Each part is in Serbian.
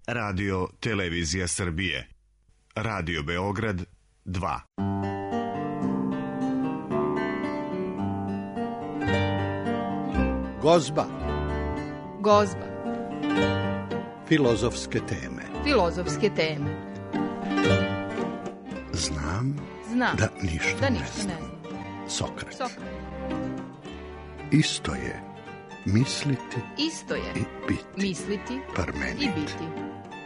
Radio Televizija Srbije. Radio Beograd 2. Gozba. Gozba. Filozofske teme. Filozofske teme. Znam da ništa ne znam. Sokrat. Isto je misliti i biti. Misliti Parmenid. i biti.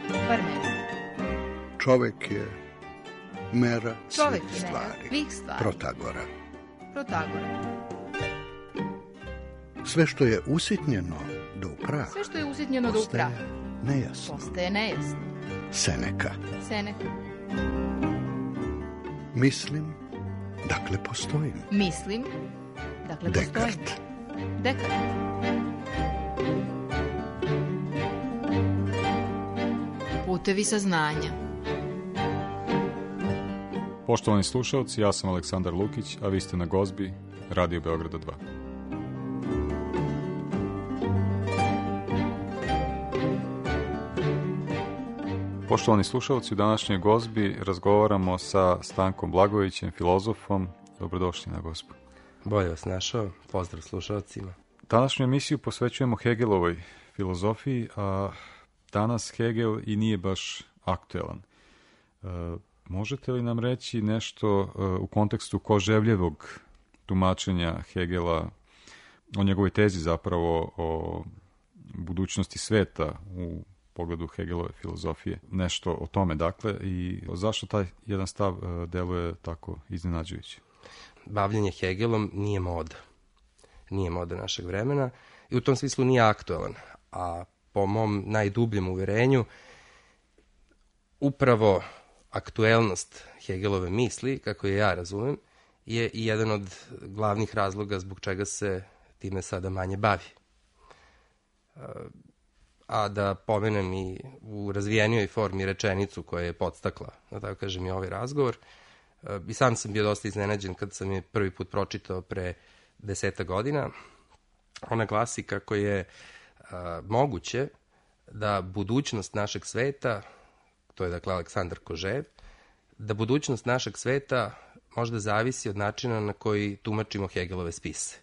Parmenid. Čovek je mera Čovek svih je mera stvari. svih stvari. Protagora. Sve što je usitnjeno do upraha. Sve što je usitnjeno do upraha. Postaje nejasno. Seneka. Mislim, dakle postojim. Dekart. Putevi saznanja. Poštovani slušalci, ja sam Aleksandar Lukić, a vi ste na Gozbi, Radio Beograda 2. Poštovani slušalci, u današnjoj Gozbi razgovaramo sa Stankom Blagojevićem, filozofom. Dobrodošli na Gozbu. Bolje vas našao, pozdrav slušalcima. Današnju emisiju posvećujemo Hegelovoj filozofiji, a danas Hegel i nije baš aktuelan. Možete li nam reći nešto u kontekstu Koževljevog tumačenja Hegela, o njegovoj tezi zapravo o budućnosti sveta u pogledu Hegelove filozofije? Nešto o tome, dakle, i zašto taj jedan stav deluje tako iznenađujući? Bavljenje Hegelom nije moda. Nije moda našeg vremena i u tom smislu nije aktuelan. A po mom najdubljem uverenju, upravo aktuelnost Hegelove misli, kako je ja razumem, je i jedan od glavnih razloga zbog čega se time sada manje bavi. A da pomenem i u razvijenijoj formi rečenicu koja je podstakla, da tako kažem, i ovaj razgovor. I sam sam bio dosta iznenađen kad sam je prvi put pročitao pre 10 godina. Ona glasi kako je moguće da budućnost našeg sveta, to je dakle Aleksandar Kožev, da budućnost našeg sveta možda zavisi od načina na koji tumačimo Hegelove spise.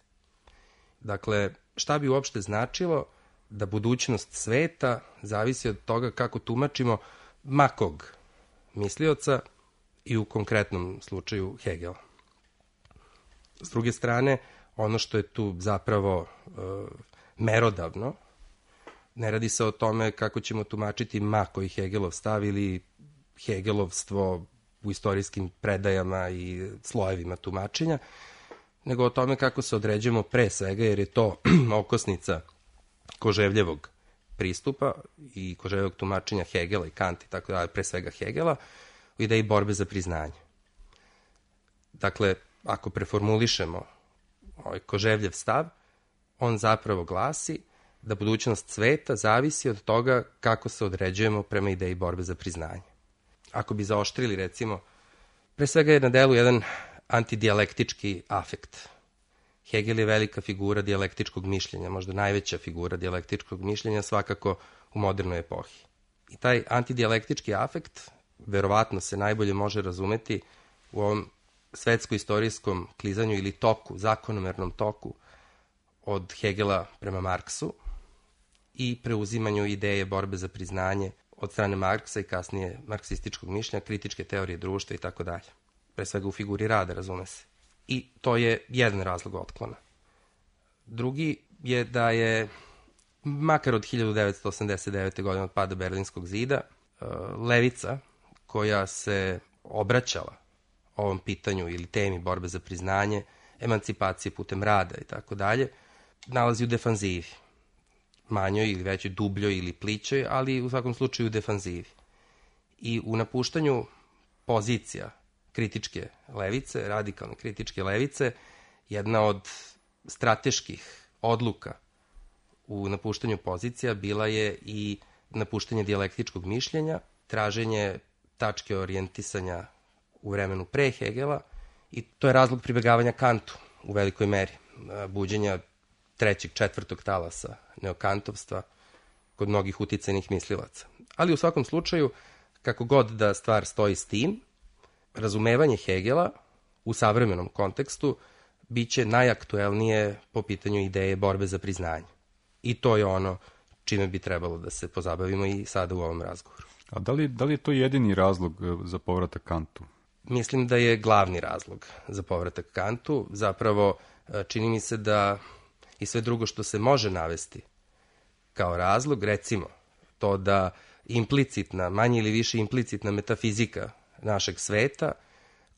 Dakle, šta bi uopšte značilo da budućnost sveta zavisi od toga kako tumačimo makog mislioca i u konkretnom slučaju Hegela. S druge strane, ono što je tu zapravo merodavno, ne radi se o tome kako ćemo tumačiti Mako i Hegelov stav ili Hegelovstvo u istorijskim predajama i slojevima tumačenja, nego o tome kako se određujemo pre svega, jer je to okosnica Koževljevog pristupa i Koževljevog tumačenja Hegela i Kanta i tako dalje, pre svega Hegela, u ideji borbe za priznanje. Dakle, ako preformulišemo ovaj Koževljev stav, on zapravo glasi da budućnost sveta zavisi od toga kako se određujemo prema ideji borbe za priznanje. Ako bi zaoštrili, recimo, pre svega je na delu jedan antidijalektički afekt. Hegel je velika figura dijalektičkog mišljenja, možda najveća figura dijalektičkog mišljenja svakako u modernoj epohi. I taj antidijalektički afekt verovatno se najbolje može razumeti u ovom svetsko-istorijskom klizanju ili toku, zakonomernom toku od Hegela prema Marksu i preuzimanju ideje borbe za priznanje od strane Marksa i kasnije marksističkog mišljenja, kritičke teorije društva i tako dalje. Pre svega u figuri rada, razume se. I to je jedan razlog otklona. Drugi je da je, makar od 1989. godine od pada Berlinskog zida, levica koja se obraćala ovom pitanju ili temi borbe za priznanje, emancipacije putem rada i tako dalje, nalazi u defanzivi. Manjoj ili većoj, dubljoj ili plićoj, ali u svakom slučaju u defanzivi. I u napuštanju pozicija kritičke levice, radikalne kritičke levice, jedna od strateških odluka u napuštanju pozicija bila je i napuštanje dijalektičkog mišljenja, traženje tačke orijentisanja u vremenu pre Hegela i to je razlog pribegavanja Kantu u velikoj meri, buđenja trećeg, četvrtog talasa neokantovstva kod mnogih uticajnih mislilaca. Ali u svakom slučaju, kako god da stvar stoji s tim, razumevanje Hegela u savremenom kontekstu biće najaktuelnije po pitanju ideje borbe za priznanje. I to je ono čime bi trebalo da se pozabavimo i sada u ovom razgovoru. A da li je to jedini razlog za povratak Kantu? Mislim da je glavni razlog za povratak Kantu. Zapravo, čini mi se da i sve drugo što se može navesti kao razlog, recimo to da implicitna, manje ili više implicitna metafizika našeg sveta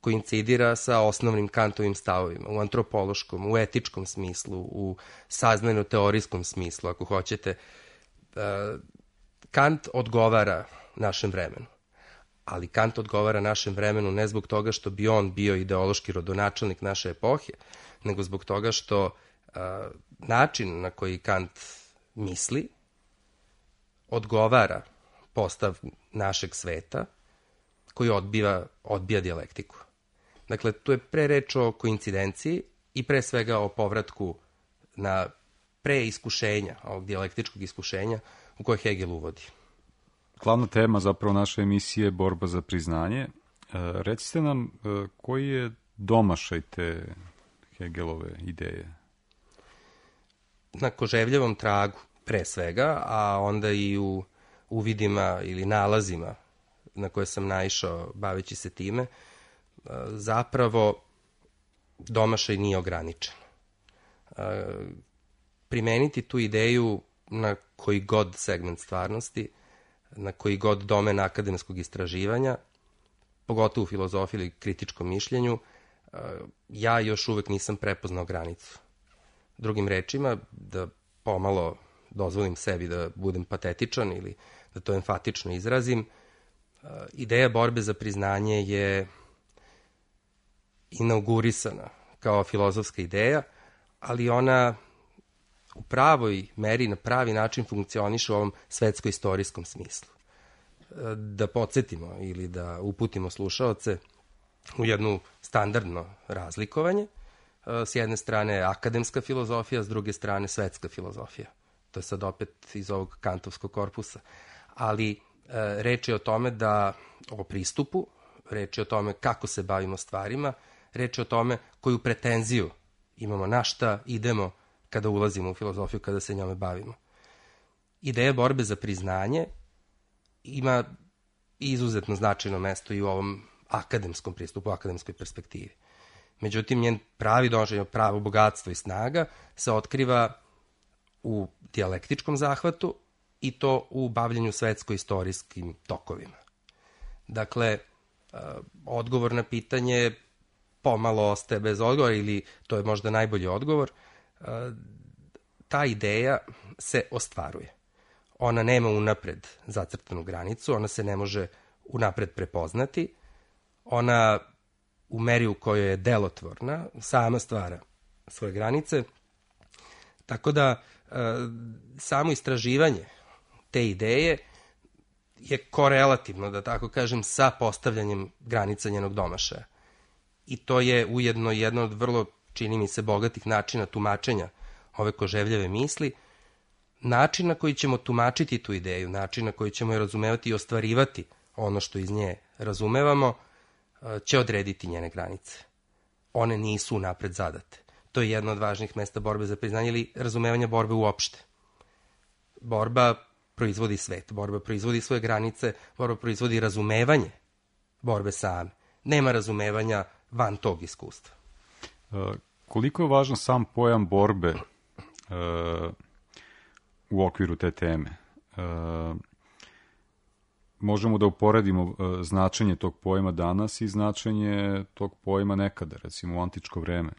koincidira sa osnovnim Kantovim stavovima u antropološkom, u etičkom smislu, u saznajno-teorijskom smislu, ako hoćete. Kant odgovara našem vremenu. Ali Kant odgovara našem vremenu ne zbog toga što bi on bio ideološki rodonačelnik naše epohe, nego zbog toga što način na koji Kant misli odgovara postav našeg sveta koji odbija dijalektiku. Dakle, tu je pre reč o koincidenciji i pre svega o povratku na preiskušenja, ovog dijalektičkog iskušenja u koje Hegel uvodi. Glavna tema zapravo naše emisije je borba za priznanje. Recite nam koji je domašaj te Hegelove ideje? Na Koževljevom tragu pre svega, a onda i u uvidima ili nalazima na koje sam naišao baveći se time, zapravo domašaj nije ograničen. Primeniti tu ideju na koji god segment stvarnosti, na koji god domen akademskog istraživanja, pogotovo u filozofiji ili kritičkom mišljenju, ja još uvek nisam prepoznao granicu. Drugim rečima, da pomalo dozvolim sebi da budem patetičan ili da to enfatično izrazim, ideja borbe za priznanje je inaugurisana kao filozofska ideja, ali ona u pravoj meri, na pravi način funkcioniše u ovom svetsko-istorijskom smislu. Da podsjetimo ili da uputimo slušaoce u jednu standardno razlikovanje. S jedne strane akademska filozofija, s druge strane svetska filozofija. To je sad opet iz ovog kantovskog korpusa. Ali reč je o tome o pristupu, reč je o tome kako se bavimo stvarima, reč je o tome koju pretenziju imamo, na šta idemo kada ulazimo u filozofiju, kada se njome bavimo. Ideja borbe za priznanje ima izuzetno značajno mesto i u ovom akademskom pristupu, u akademskoj perspektivi. Međutim, njen pravi donošenje, pravo bogatstvo i snaga se otkriva u dijalektičkom zahvatu i to u bavljenju svetsko-istorijskim tokovima. Dakle, odgovor na pitanje pomalo ostaje bez odgovora ili to je možda najbolji odgovor. Ta ideja se ostvaruje. Ona nema unapred zacrtanu granicu, ona se ne može unapred prepoznati, ona u meri u kojoj je delotvorna sama stvara svoje granice, tako da samo istraživanje te ideje je korelativno, da tako kažem, sa postavljanjem granica njenog domašaja. I to je ujedno jedno od vrlo, čini mi se, bogatih načina tumačenja ove Koževljeve misli, način na koji ćemo tumačiti tu ideju, način na koji ćemo je razumevati i ostvarivati ono što iz nje razumevamo, će odrediti njene granice. One nisu napred zadate. To je jedno od važnih mesta borbe za priznanje ili razumevanja borbe uopšte. Borba proizvodi svet, borba proizvodi svoje granice, borba proizvodi razumevanje borbe same. Nema razumevanja van tog iskustva. Koliko je važan sam pojam borbe u okviru te teme? Možemo da uporedimo značenje tog pojma danas i značenje tog pojma nekada, recimo u antičko vreme.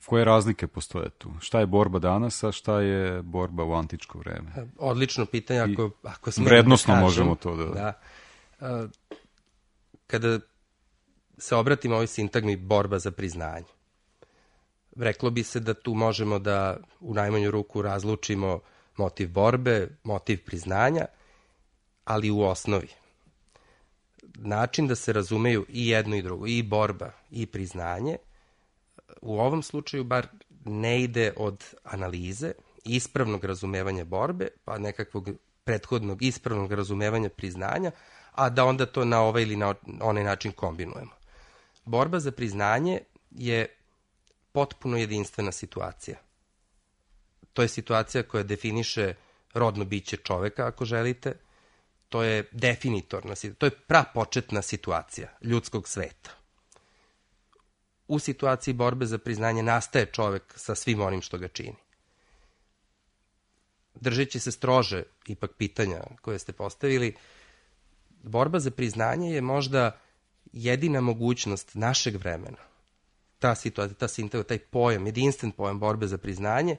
Koje razlike postoje tu? Šta je borba danas, a šta je borba u antičko vreme? Odlično pitanje, ako smijem vrednosno da kažem, možemo to da... Kada se obratimo ovoj sintagmi borba za priznanje, reklo bi se da tu možemo da u najmanju ruku razlučimo motiv borbe, motiv priznanja, ali u osnovi način da se razumeju i jedno i drugo, i borba i priznanje, u ovom slučaju bar ne ide od analize, ispravnog razumevanja borbe, pa nekakvog prethodnog ispravnog razumevanja priznanja, a da onda to na ovaj ili na onaj način kombinujemo. Borba za priznanje je potpuno jedinstvena situacija. To je situacija koja definiše rodno biće čoveka, ako želite. To je definitorna situacija, to je prapočetna situacija ljudskog sveta. U situaciji borbe za priznanje nastaje čovek sa svim onim što ga čini. Držeći se strože ipak pitanja koje ste postavili, borba za priznanje je možda jedina mogućnost našeg vremena. Ta situacija, ta sintagma, taj pojam, jedinstven pojam borbe za priznanje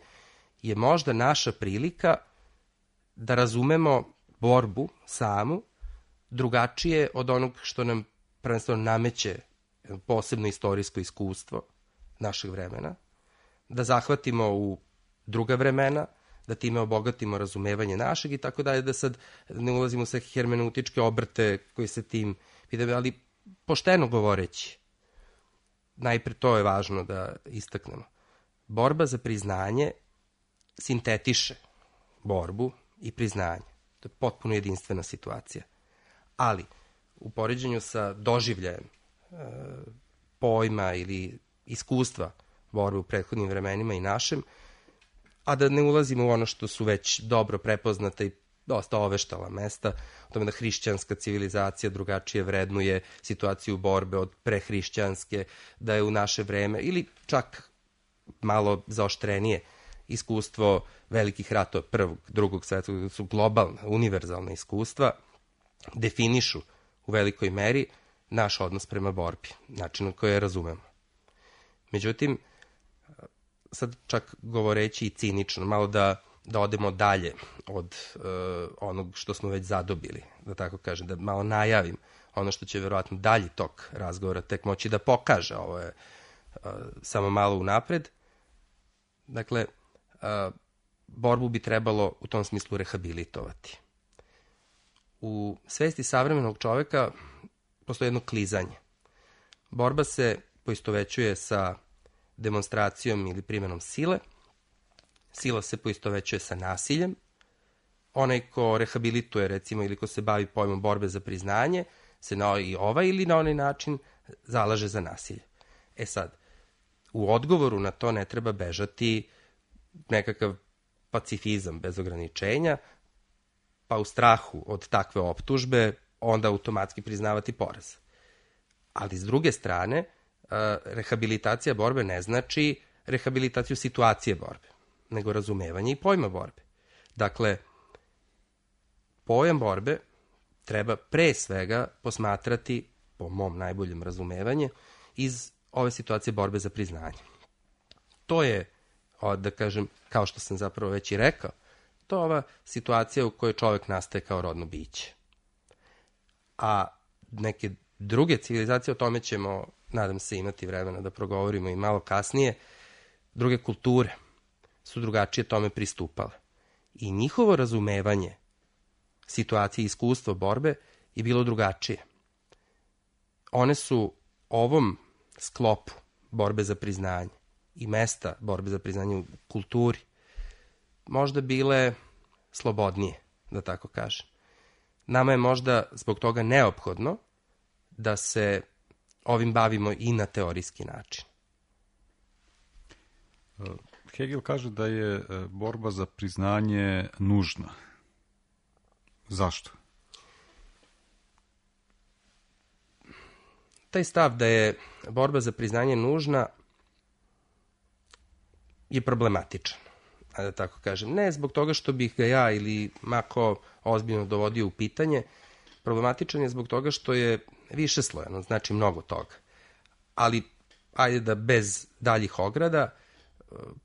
je možda naša prilika da razumemo borbu samu drugačije od onog što nam prvenstveno nameće posebno istorijsko iskustvo našeg vremena, da zahvatimo u druga vremena, da time obogatimo razumevanje našeg i tako dalje, da sad ne ulazimo sa hermeneutičke obrte koji se tim pitaju, ali pošteno govoreći, najpre to je važno da istaknemo. Borba za priznanje sintetiše borbu i priznanje. To je potpuno jedinstvena situacija. Ali, u poređenju sa doživljajem pojma ili iskustva borbe u prethodnim vremenima i našem, a da ne ulazimo u ono što su već dobro prepoznata i dosta oveštala mesta, o tome da hrišćanska civilizacija drugačije vrednuje situaciju borbe od prehrišćanske, da je u naše vreme, ili čak malo zaoštrenije, iskustvo velikih ratova prvog, drugog svetskog, su globalna, univerzalna iskustva, definišu u velikoj meri naš odnos prema borbi, način na koji je razumemo. Međutim, sad čak govoreći i cinično, malo da odemo dalje od onog što smo već zadobili, da tako kažem, da malo najavim ono što će verovatno dalji tok razgovora tek moći da pokaže, ovo je samo malo unapred. Dakle, borbu bi trebalo u tom smislu rehabilitovati. U svesti savremenog čoveka postoji jedno klizanje. Borba se poistovećuje sa demonstracijom ili primjenom sile, sila se poistovećuje sa nasiljem, onaj ko rehabilituje, recimo, ili ko se bavi pojmom borbe za priznanje, se na ovaj ili na onaj način zalaže za nasilje. E sad, u odgovoru na to ne treba bežati nekakav pacifizam bez ograničenja, pa u strahu od takve optužbe onda automatski priznavati poraz. Ali s druge strane, rehabilitacija borbe ne znači rehabilitaciju situacije borbe, nego razumevanje i pojma borbe. Dakle, pojam borbe treba pre svega posmatrati, po mom najboljem razumevanju, iz ove situacije borbe za priznanje. To je, da kažem, kao što sam zapravo već i rekao, to je ova situacija u kojoj čovek nastaje kao rodno biće. A neke druge civilizacije, o tome ćemo, nadam se, imati vremena da progovorimo i malo kasnije, druge kulture su drugačije tome pristupale. I njihovo razumevanje situacije i iskustva borbe je bilo drugačije. One su ovom sklopu borbe za priznanje i mesta borbe za priznanje u kulturi možda bile slobodnije, da tako kažem. Nama je možda zbog toga neophodno da se ovim bavimo i na teorijski način. Hegel kaže da je borba za priznanje nužna. Zašto? Taj stav da je borba za priznanje nužna je problematičan, da tako kažem. Ne zbog toga što bih ga ja ili mako ozbiljno dovodio u pitanje, problematičan je zbog toga što je višeslojano, znači mnogo toga. Ali, ajde da bez daljih ograda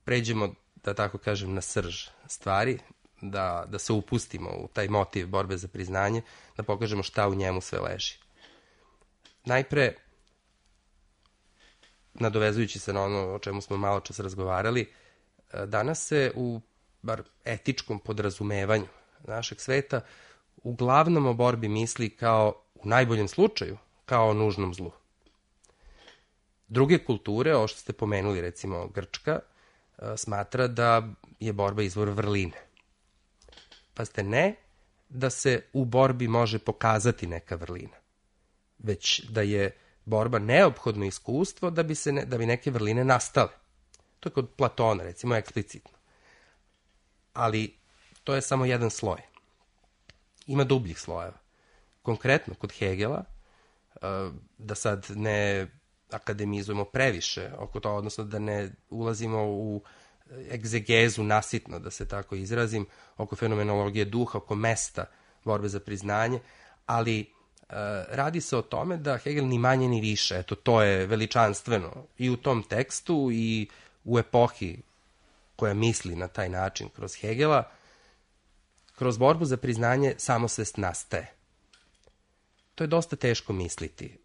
pređemo, da tako kažem, na srž stvari, da se upustimo u taj motiv borbe za priznanje, da pokažemo šta u njemu sve leži. Najpre, nadovezujući se na ono o čemu smo malo čas razgovarali, danas se u bar etičkom podrazumevanju našeg sveta uglavnom o borbi misli kao, u najboljem slučaju, kao o nužnom zlu. Druge kulture, ovo što ste pomenuli, recimo Grčka, smatra da je borba izvor vrline. Pazite, ne da se u borbi može pokazati neka vrlina, već da je borba neophodno iskustvo da bi neke vrline nastale. To je kod Platona, recimo, eksplicitno. Ali to je samo jedan sloj. Ima dubljih slojeva. Konkretno, kod Hegela, da sad ne akademizujemo previše oko toga, odnosno da ne ulazimo u egzegezu nasitno, da se tako izrazim, oko fenomenologije duha, oko mesta borbe za priznanje, ali radi se o tome da Hegel ni manje ni više, eto, to je veličanstveno i u tom tekstu i u epohi koja misli na taj način kroz Hegela, kroz borbu za priznanje samosvest nastaje. To je dosta teško misliti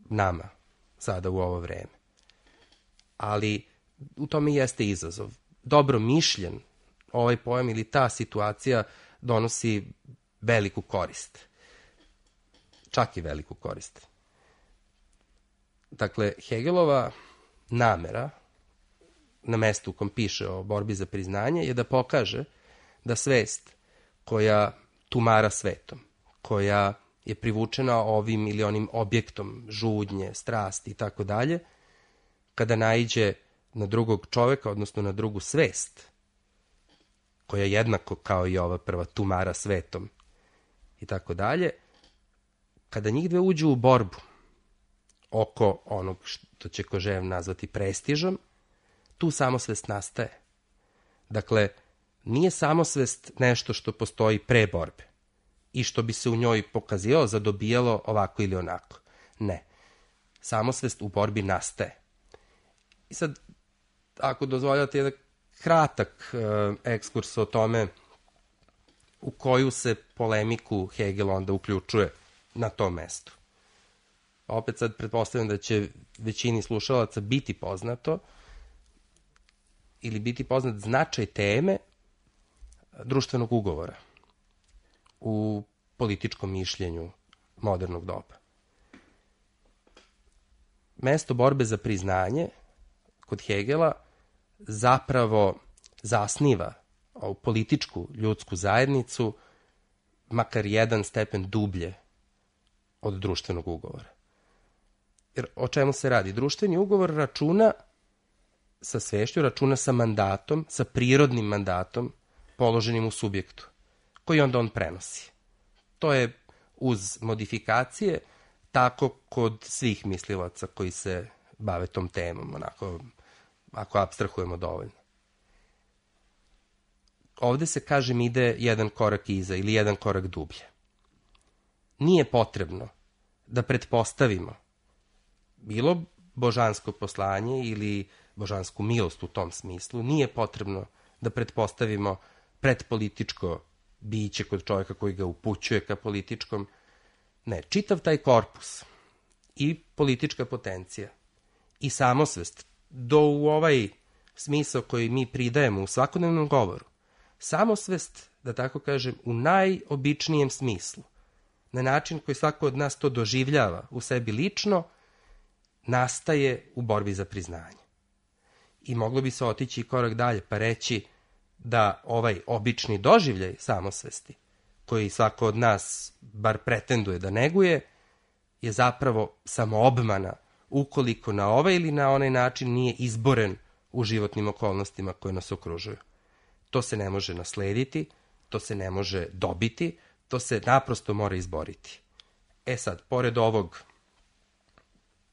nama sada u ovo vreme. Ali u tome jeste izazov. Dobro mišljen ovaj pojam ili ta situacija donosi veliku korist. Čak i veliku korist. Dakle, Hegelova namera na mestu u kom piše o borbi za priznanje je da pokaže da svest koja tumara svetom, koja je privučena ovim ili onim objektom žudnje, strasti i tako dalje, kada naiđe na drugog čoveka, odnosno na drugu svest, koja jednako kao i ova prva tumara svetom i tako dalje, kada njih dve uđu u borbu oko onog što će Kožev nazvati prestižom, tu samosvest nastaje. Dakle, nije samosvest nešto što postoji pre borbe i što bi se u njoj pokazivalo, zadobijalo ovako ili onako. Ne. Samosvest u borbi nastaje. I sad, ako dozvoljate jedan kratak ekskurs o tome u koju se polemiku Hegel onda uključuje na tom mestu. Opet sad pretpostavljam da će većini slušalaca biti poznato ili biti poznat značaj teme društvenog ugovora u političkom mišljenju modernog doba. Mesto borbe za priznanje kod Hegela zapravo zasniva ovu političku ljudsku zajednicu makar jedan stepen dublje od društvenog ugovora. Jer o čemu se radi? Društveni ugovor računa sa svešću, računa sa mandatom, sa prirodnim mandatom položenim u subjektu, koji onda on prenosi. To je uz modifikacije tako kod svih mislilaca koji se bave tom temom, onako, ako apstrahujemo dovoljno. Ovde se, kažem, ide jedan korak iza ili jedan korak dublje. Nije potrebno da pretpostavimo bilo božansko poslanje ili božansku milost u tom smislu, nije potrebno da pretpostavimo predpolitičko biće kod čovjeka koji ga upućuje ka političkom. Ne, čitav taj korpus i politička potencija i samosvest do u ovaj smisao koji mi pridajemo u svakodnevnom govoru. Samosvest, da tako kažem, u najobičnijem smislu, na način koji svako od nas to doživljava u sebi lično, nastaje u borbi za priznanje. I moglo bi se otići i korak dalje pa reći da ovaj obični doživljaj samosvesti, koji svako od nas bar pretenduje da neguje, je zapravo samo obmana ukoliko na ovaj ili na onaj način nije izboren u životnim okolnostima koje nas okružuju. To se ne može naslediti, to se ne može dobiti, to se naprosto mora izboriti. E sad, pored ovog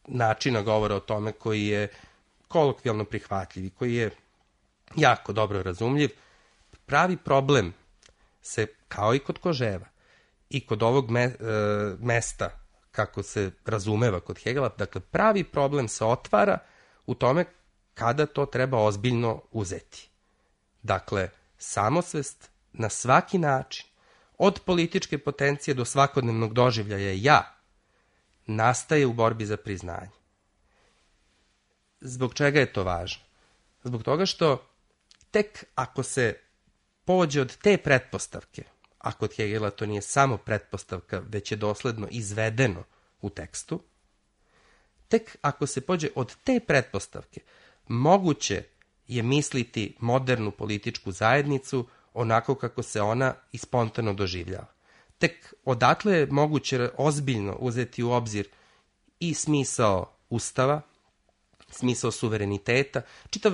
načina govora o tome koji je kolokvijalno prihvatljiv i koji je jako dobro razumljiv, pravi problem se, kao i kod Koževa, i kod ovog mesta, kako se razumeva kod Hegela, dakle, pravi problem se otvara u tome kada to treba ozbiljno uzeti. Dakle, samosvest na svaki način, od političke potencije do svakodnevnog doživljaja ja, nastaje u borbi za priznanje. Zbog čega je to važno? Zbog toga što tek ako se pođe od te pretpostavke, a kod Hegela to nije samo pretpostavka, već je dosledno izvedeno u tekstu, tek ako se pođe od te pretpostavke, moguće je misliti modernu političku zajednicu onako kako se ona i spontano doživljava. tek odatle je moguće ozbiljno uzeti u obzir i smisao Ustava, smisao suvereniteta, čitav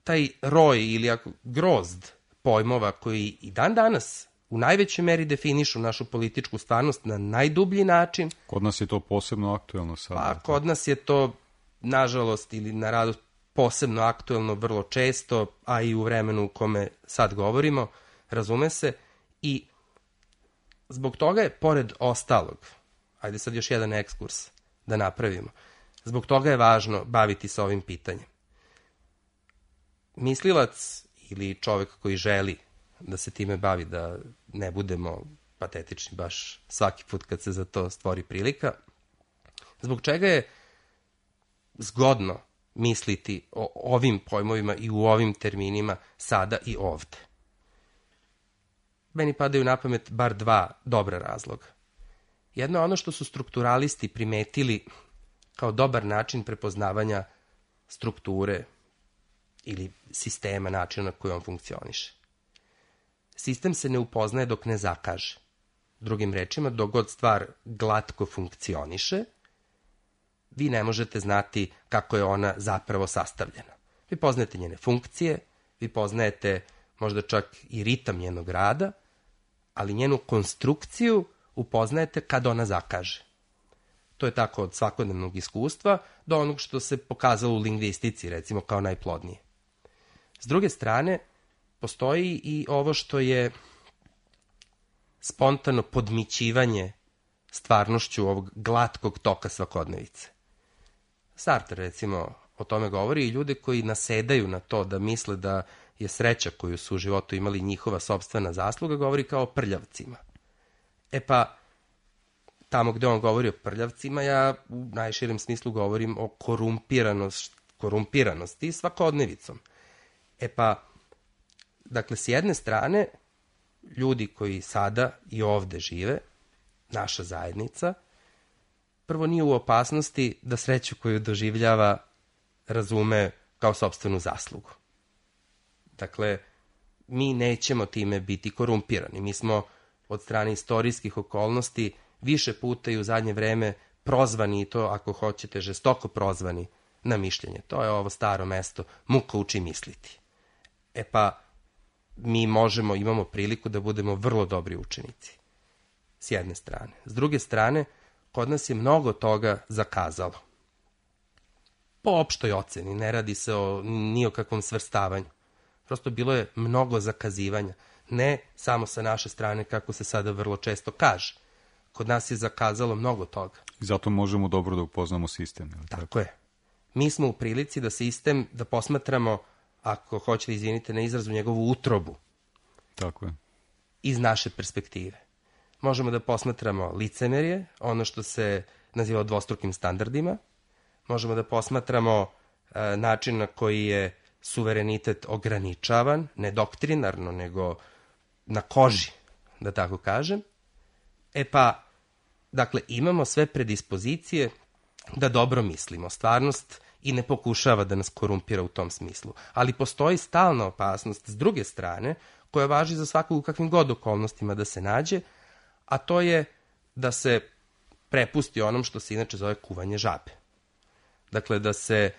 taj roj ili grozd pojmova koji i dan danas u najvećoj meri definišu našu političku stvarnost na najdublji način. Kod nas je to posebno aktuelno sada. Pa kod nas je to, nažalost ili na radost, posebno aktuelno vrlo često, a i u vremenu u kome sad govorimo, razume se, i zbog toga je, pored ostalog, ajde sad još jedan ekskurs da napravimo, zbog toga je važno baviti se ovim pitanjem. Mislilac ili čovek koji želi da se time bavi, da ne budemo patetični baš svaki put kad se za to stvori prilika, zbog čega je zgodno misliti o ovim pojmovima i u ovim terminima sada i ovde. Meni padaju na pamet bar dva dobra razloga. Jedno je ono što su strukturalisti primetili kao dobar način prepoznavanja strukture ili sistema, načina na koji on funkcioniše. Sistem se ne upoznaje dok ne zakaže. Drugim rečima, dok god stvar glatko funkcioniše, vi ne možete znati kako je ona zapravo sastavljena. Vi poznajete njene funkcije, vi poznajete možda čak i ritam njenog rada, ali njenu konstrukciju upoznajete kad ona zakaže. To je tako od svakodnevnog iskustva do onog što se pokazalo u lingvistici, recimo, kao najplodnije. S druge strane, postoji i ovo što je spontano podmićivanje stvarnošću ovog glatkog toka svakodnevice. Sartre, recimo, o tome govori, i ljude koji nasedaju na to da misle da je sreća koju su u životu imali njihova sopstvena zasluga, govori kao o prljavcima. E pa, tamo gde on govori o prljavcima, ja u najširem smislu govorim o korumpiranosti svakodnevicom. E pa, dakle, s jedne strane, ljudi koji sada i ovde žive, naša zajednica, prvo nije u opasnosti da sreću koju doživljava razume kao sopstvenu zaslugu. Dakle, mi nećemo time biti korumpirani. Mi smo od strane istorijskih okolnosti više puta i u zadnje vreme prozvani, i to, ako hoćete, žestoko prozvani na mišljenje. To je ovo staro mesto, muka uči misliti. E pa, mi imamo priliku da budemo vrlo dobri učenici. S jedne strane. S druge strane, kod nas je mnogo toga zakazalo. Po opštoj oceni, ne radi se ni o kakvom svrstavanju. Prosto bilo je mnogo zakazivanja. Ne samo sa naše strane, kako se sada vrlo često kaže. Kod nas je zakazalo mnogo toga. I zato možemo dobro da upoznamo sistem. Tako je. Mi smo u prilici da sistem, da posmatramo, ako hoćete, izvinite na izrazu, njegovu utrobu. Tako je. Iz naše perspektive. Možemo da posmatramo licemerje, ono što se naziva dvostrukim standardima. Možemo da posmatramo način na koji je suverenitet ograničavan, ne doktrinarno, nego na koži, da tako kažem. E pa, dakle, imamo sve predispozicije da dobro mislimo. Stvarnost i ne pokušava da nas korumpira u tom smislu. Ali postoji stalna opasnost s druge strane, koja važi za svakog u kakvim god okolnostima da se nađe, a to je da se prepusti onom što se inače zove kuvanje žabe. Dakle, da se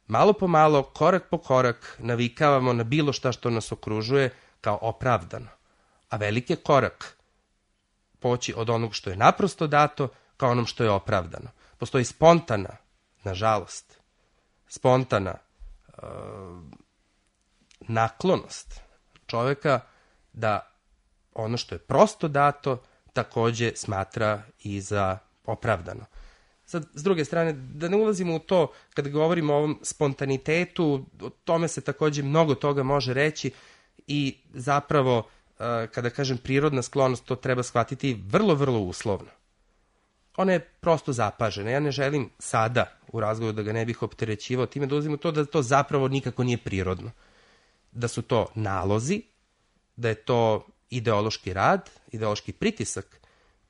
malo po malo, korak po korak, navikavamo na bilo šta što nas okružuje kao opravdano. A veliki je korak poći od onog što je naprosto dato kao onom što je opravdano. Postoji spontana, nažalost, spontana naklonost čoveka da ono što je prosto dato takođe smatra i za opravdano. Sad, s druge strane, da ne ulazimo u to, kada govorimo o ovom spontanitetu, o tome se takođe mnogo toga može reći i zapravo, kada kažem prirodna sklonost, to treba shvatiti vrlo, vrlo uslovno. Ona je prosto zapažena. Ja ne želim sada u razgovoru, da ga ne bih opterećivao time, da ulazimo u to da to zapravo nikako nije prirodno. Da su to nalozi, da je to ideološki rad, ideološki pritisak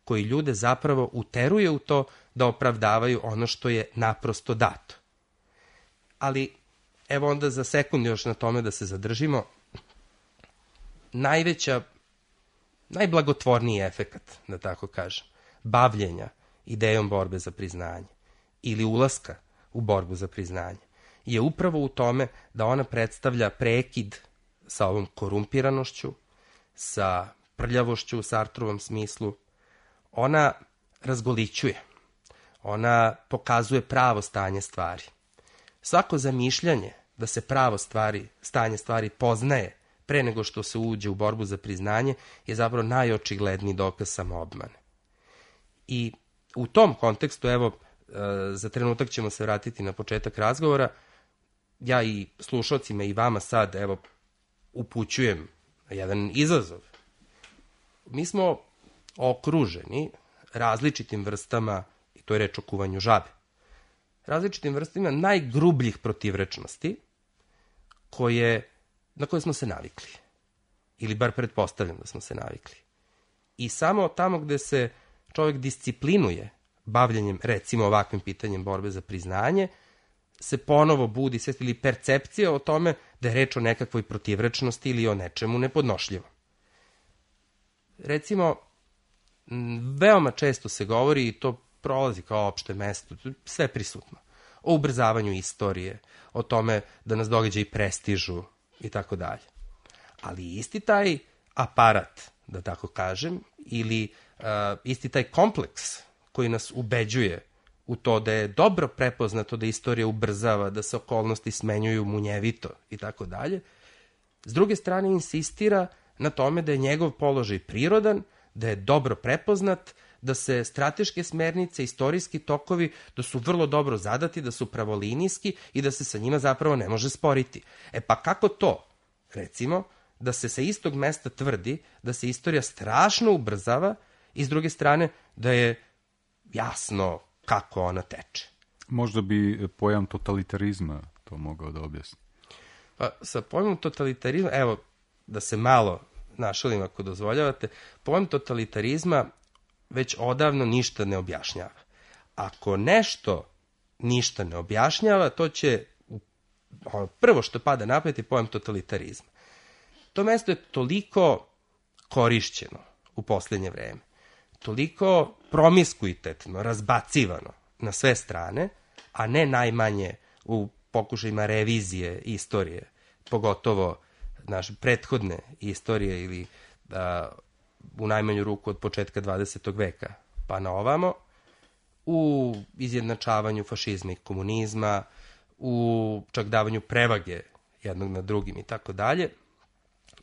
koji ljude zapravo uteruje u to da opravdavaju ono što je naprosto dato. Ali, evo onda za sekund još na tome da se zadržimo. Najveća najblagotvorniji efekat, da tako kažem, bavljenja idejom borbe za priznanje ili ulaska u borbu za priznanje, je upravo u tome da ona predstavlja prekid sa ovom korumpiranošću, sa prljavošću u Sartrovom smislu. Ona razgolićuje, ona pokazuje pravo stanje stvari. Svako zamišljanje da se pravo stanje stvari poznaje pre nego što se uđe u borbu za priznanje je zapravo najočigledniji dokaz samoobmane. I u tom kontekstu, evo, za trenutak ćemo se vratiti na početak razgovora, ja i slušalcima i vama sad, evo, upućujem jedan izazov. Mi smo okruženi različitim vrstama, i to je reč o kuvanju žabe, različitim vrstama najgrubljih protivrečnosti na koje smo se navikli. Ili bar pretpostavljam da smo se navikli. I samo tamo gde se čovjek disciplinuje bavljenjem, recimo, ovakvim pitanjem borbe za priznanje, se ponovo budi svest ili percepcija o tome da je reč o nekakvoj protivrečnosti ili o nečemu nepodnošljivom. Recimo, veoma često se govori, i to prolazi kao opšte mesto, sve prisutno, o ubrzavanju istorije, o tome da nas događaji prestižu i tako dalje. Ali isti taj aparat, da tako kažem, ili isti taj kompleks koji nas ubeđuje u to da je dobro prepoznato da istorija ubrzava, da se okolnosti smenjuju munjevito i tako dalje, s druge strane insistira na tome da je njegov položaj prirodan, da je dobro prepoznat, da se strateške smernice, istorijski tokovi, da su vrlo dobro zadati, da su pravolinijski i da se sa njima zapravo ne može sporiti. Pa kako to, recimo, da se sa istog mesta tvrdi da se istorija strašno ubrzava i s druge strane da je jasno kako ona teče? Možda bi pojam totalitarizma to mogao da objasni. Pa sa pojmom totalitarizma, evo, da se malo našalim ako dozvoljavate, pojam totalitarizma već odavno ništa ne objašnjava. Ako nešto ništa ne objašnjava, to će prvo što pada na pamet je pojam totalitarizma. To mesto je toliko korišćeno u posljednje vreme, toliko promiskuitetno, razbacivano na sve strane, a ne najmanje u pokušajima revizije istorije, pogotovo naše prethodne istorije ili u najmanju ruku od početka 20. veka pa na ovamo, u izjednačavanju fašizma i komunizma, u čak davanju prevage jednog na drugim i tako dalje.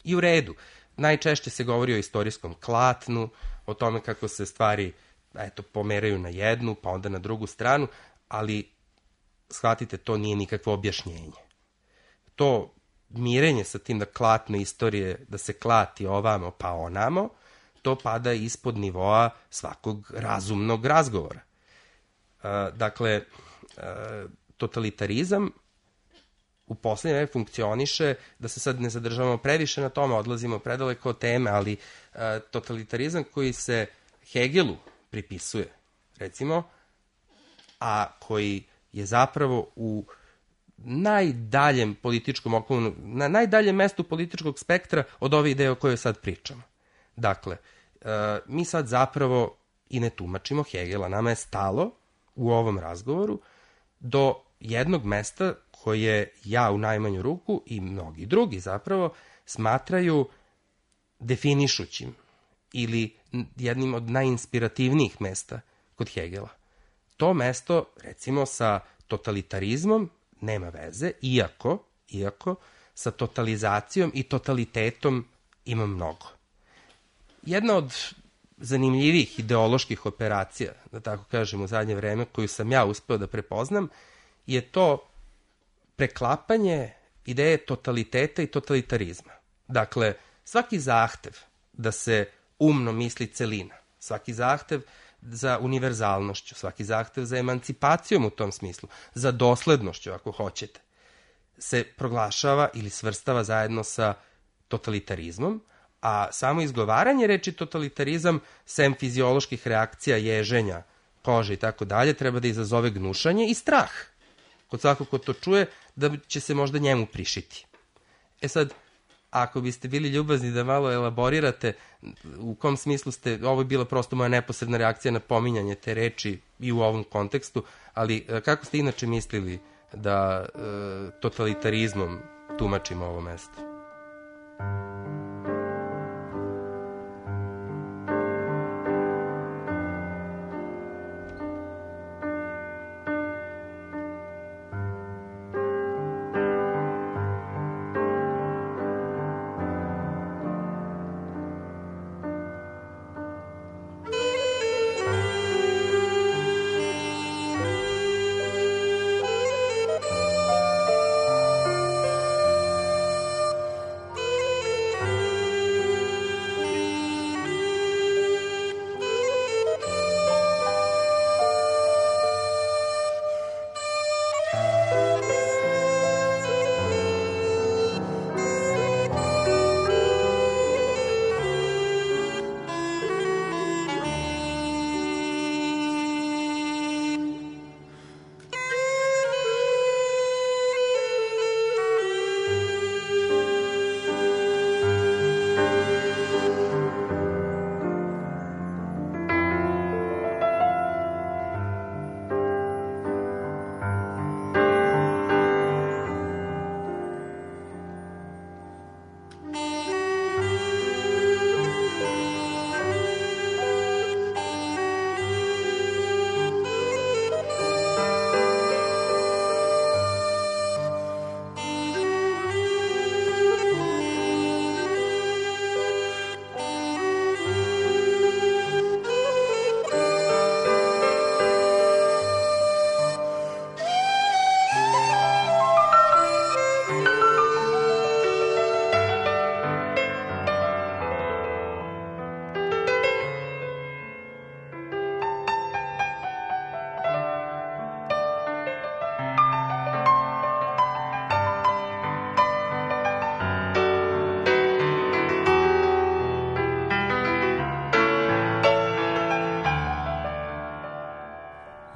I u redu, najčešće se govori o istorijskom klatnu, o tome kako se stvari pomeraju na jednu, pa onda na drugu stranu, ali shvatite, to nije nikakvo objašnjenje. To mirenje sa tim da klatno istorije, da se klati ovamo pa onamo, to pada ispod nivoa svakog razumnog razgovora. Dakle, totalitarizam u poslednje vreme funkcioniše, da se sad ne zadržavamo previše na tome, odlazimo predaleko od teme, ali totalitarizam koji se Hegelu pripisuje, recimo, a koji je zapravo u najdaljem političkom okolu, na najdaljem mestu političkog spektra od ove ideje o kojoj sad pričamo. Dakle, mi sad zapravo i ne tumačimo Hegela, nama je stalo u ovom razgovoru do jednog mesta koje ja u najmanju ruku i mnogi drugi zapravo smatraju definišućim ili jednim od najinspirativnijih mesta kod Hegela. To mesto, recimo, sa totalitarizmom nema veze, iako sa totalizacijom i totalitetom ima mnogo. Jedna od zanimljivih ideoloških operacija, da tako kažem, u zadnje vreme, koju sam ja uspeo da prepoznam, je to preklapanje ideje totaliteta i totalitarizma. Dakle, svaki zahtev da se umno misli celina, svaki zahtev za univerzalnošću, svaki zahtev za emancipacijom u tom smislu, za doslednošću, ako hoćete, se proglašava ili svrstava zajedno sa totalitarizmom, a samo izgovaranje reči totalitarizam, sem fizioloških reakcija, ježenja, kože i tako dalje, treba da izazove gnušanje i strah kod svakog ko to čuje, da će se možda njemu prišiti. Sad, ako biste bili ljubazni da malo elaborirate u kom smislu ste, ovo je bila prosto moja neposredna reakcija na pominjanje te reči i u ovom kontekstu, ali kako ste inače mislili da totalitarizmom tumačimo ovo mesto?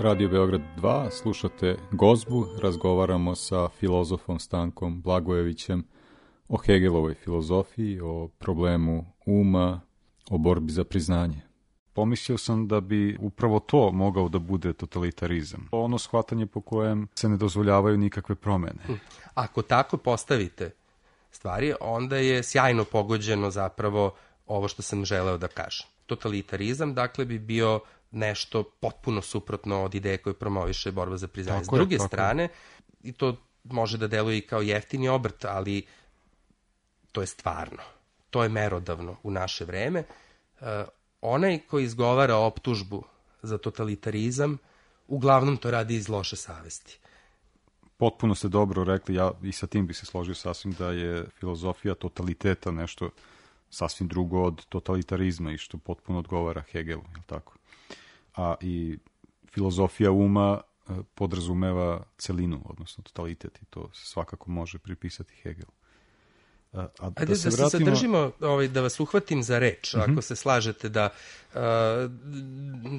Radio Beograd 2, slušate Gozbu, razgovaramo sa filozofom Stankom Blagojevićem o Hegelovoj filozofiji, o problemu uma, o borbi za priznanje. Pomislio sam da bi upravo to mogao da bude totalitarizam. Ono shvatanje po kojem se ne dozvoljavaju nikakve promene. Ako tako postavite stvari, onda je sjajno pogođeno zapravo ovo što sam želeo da kažem. Totalitarizam, dakle, bi bio nešto potpuno suprotno od ideje koje promoviše borba za priznanje. S druge strane, i to može da deluje i kao jeftini obrt, ali to je stvarno. To je merodavno u naše vreme. Onaj koji izgovara optužbu za totalitarizam, uglavnom to radi iz loše savesti. Potpuno ste dobro rekli, ja i sa tim bi se složio sasvim da je filozofija totaliteta nešto sasvim drugo od totalitarizma i što potpuno odgovara Hegelu, je li tako? A i filozofija uma podrazumeva celinu, odnosno totalitet, i to se svakako može pripisati Hegelu. Ajde da se zadržimo, da vas uhvatim za reč, ako se slažete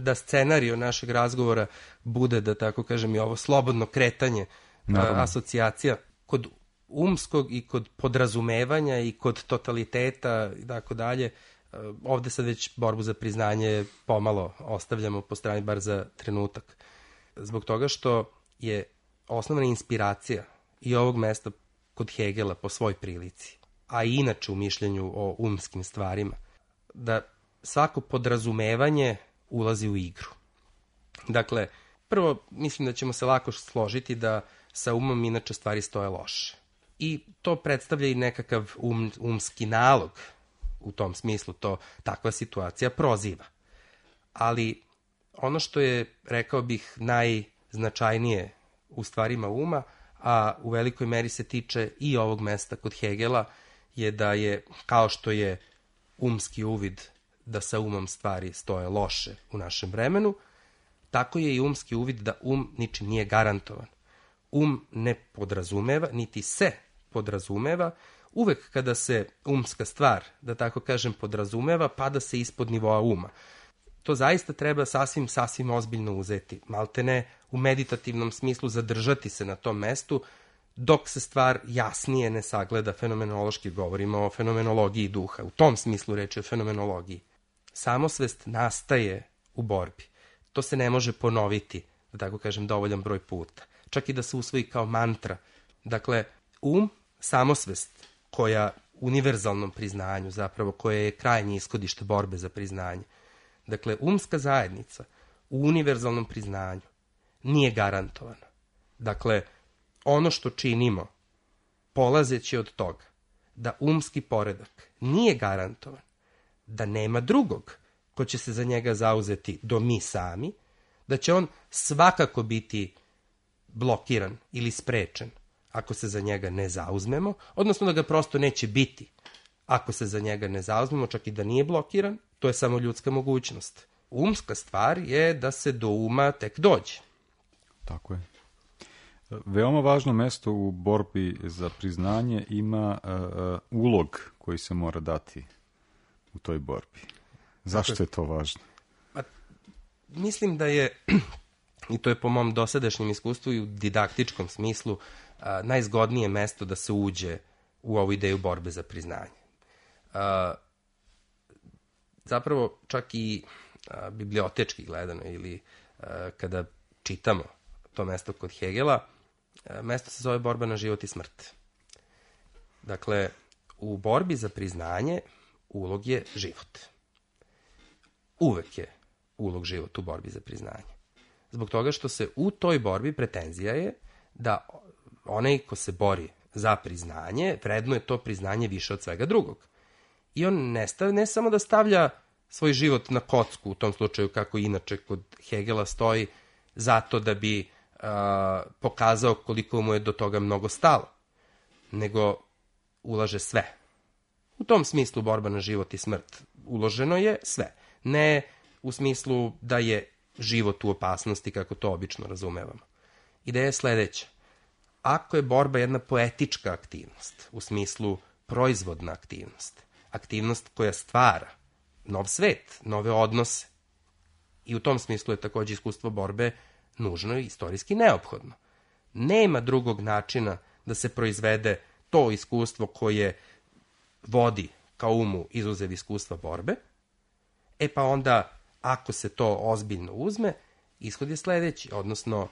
da scenario našeg razgovora bude, da tako kažem, i ovo slobodno kretanje asocijacija kod umskog i kod podrazumevanja i kod totaliteta i tako dalje. Ovde sad već borbu za priznanje pomalo ostavljamo po strani, bar za trenutak. Zbog toga što je osnovna inspiracija i ovog mesta kod Hegela po svoj prilici, a i inače u mišljenju o umskim stvarima, da svako podrazumevanje ulazi u igru. Dakle, prvo, mislim da ćemo se lako složiti da sa umom inače stvari stoje loše. I to predstavlja i nekakav umski nalog. U tom smislu to takva situacija proziva. Ali ono što je, rekao bih, najznačajnije u stvarima uma, a u velikoj meri se tiče i ovog mesta kod Hegela, je da je, kao što je umski uvid da sa umom stvari stoje loše u našem vremenu, tako je i umski uvid da ničim nije garantovan. Ne podrazumeva, niti se podrazumeva. Uvek kada se umska stvar, da tako kažem, podrazumeva, pada se ispod nivoa uma. To zaista treba sasvim ozbiljno uzeti. Maltene u meditativnom smislu zadržati se na tom mestu, dok se stvar jasnije ne sagleda fenomenološki, govorimo o fenomenologiji duha. U tom smislu reči o fenomenologiji. Samosvest nastaje u borbi. To se ne može ponoviti, da tako kažem, dovoljan broj puta. Čak i da se usvoji kao mantra. Dakle, samosvest koja univerzalnom priznanju, zapravo koje je krajnje ishodište borbe za priznanje. Dakle, umska zajednica u univerzalnom priznanju nije garantovana. Dakle, ono što činimo, polazeći od toga da umski poredak nije garantovan, da nema drugog ko će se za njega zauzeti do mi sami, da će on svakako biti blokiran ili sprečen ako se za njega ne zauzmemo, odnosno da ga prosto neće biti ako se za njega ne zauzmemo, čak i da nije blokiran, to je samo ljudska mogućnost. Umska stvar je da se do uma tek dođe. Tako je. Veoma važno mesto u borbi za priznanje ima ulog koji se mora dati u toj borbi. Zašto je to važno? Mislim da je, i to je po mom dosadašnjem iskustvu i u didaktičkom smislu, najzgodnije mesto da se uđe u ovu ideju borbe za priznanje. Zapravo, čak i bibliotečki gledano ili kada čitamo to mesto kod Hegela, mesto se zove borba na život i smrt. Dakle, u borbi za priznanje ulog je život. Uvek je ulog život u borbi za priznanje. Zbog toga što se u toj borbi pretenzija je da onaj ko se bori za priznanje, vrednuje to priznanje više od svega drugog. I on ne samo da stavlja svoj život na kocku, u tom slučaju kako inače kod Hegela stoji, zato da bi pokazao koliko mu je do toga mnogo stalo, nego ulaže sve. U tom smislu borba na život i smrt uloženo je sve. Ne u smislu da je život u opasnosti, kako to obično razumevamo. Ideja je sledeća. Ako je borba jedna poetička aktivnost, u smislu proizvodna aktivnost, aktivnost koja stvara nov svet, nove odnose, i u tom smislu je takođe iskustvo borbe nužno i istorijski neophodno. Nema drugog načina da se proizvede to iskustvo koje vodi kao umu izuzev iskustva borbe, pa onda, ako se to ozbiljno uzme, ishod je sledeći, odnosno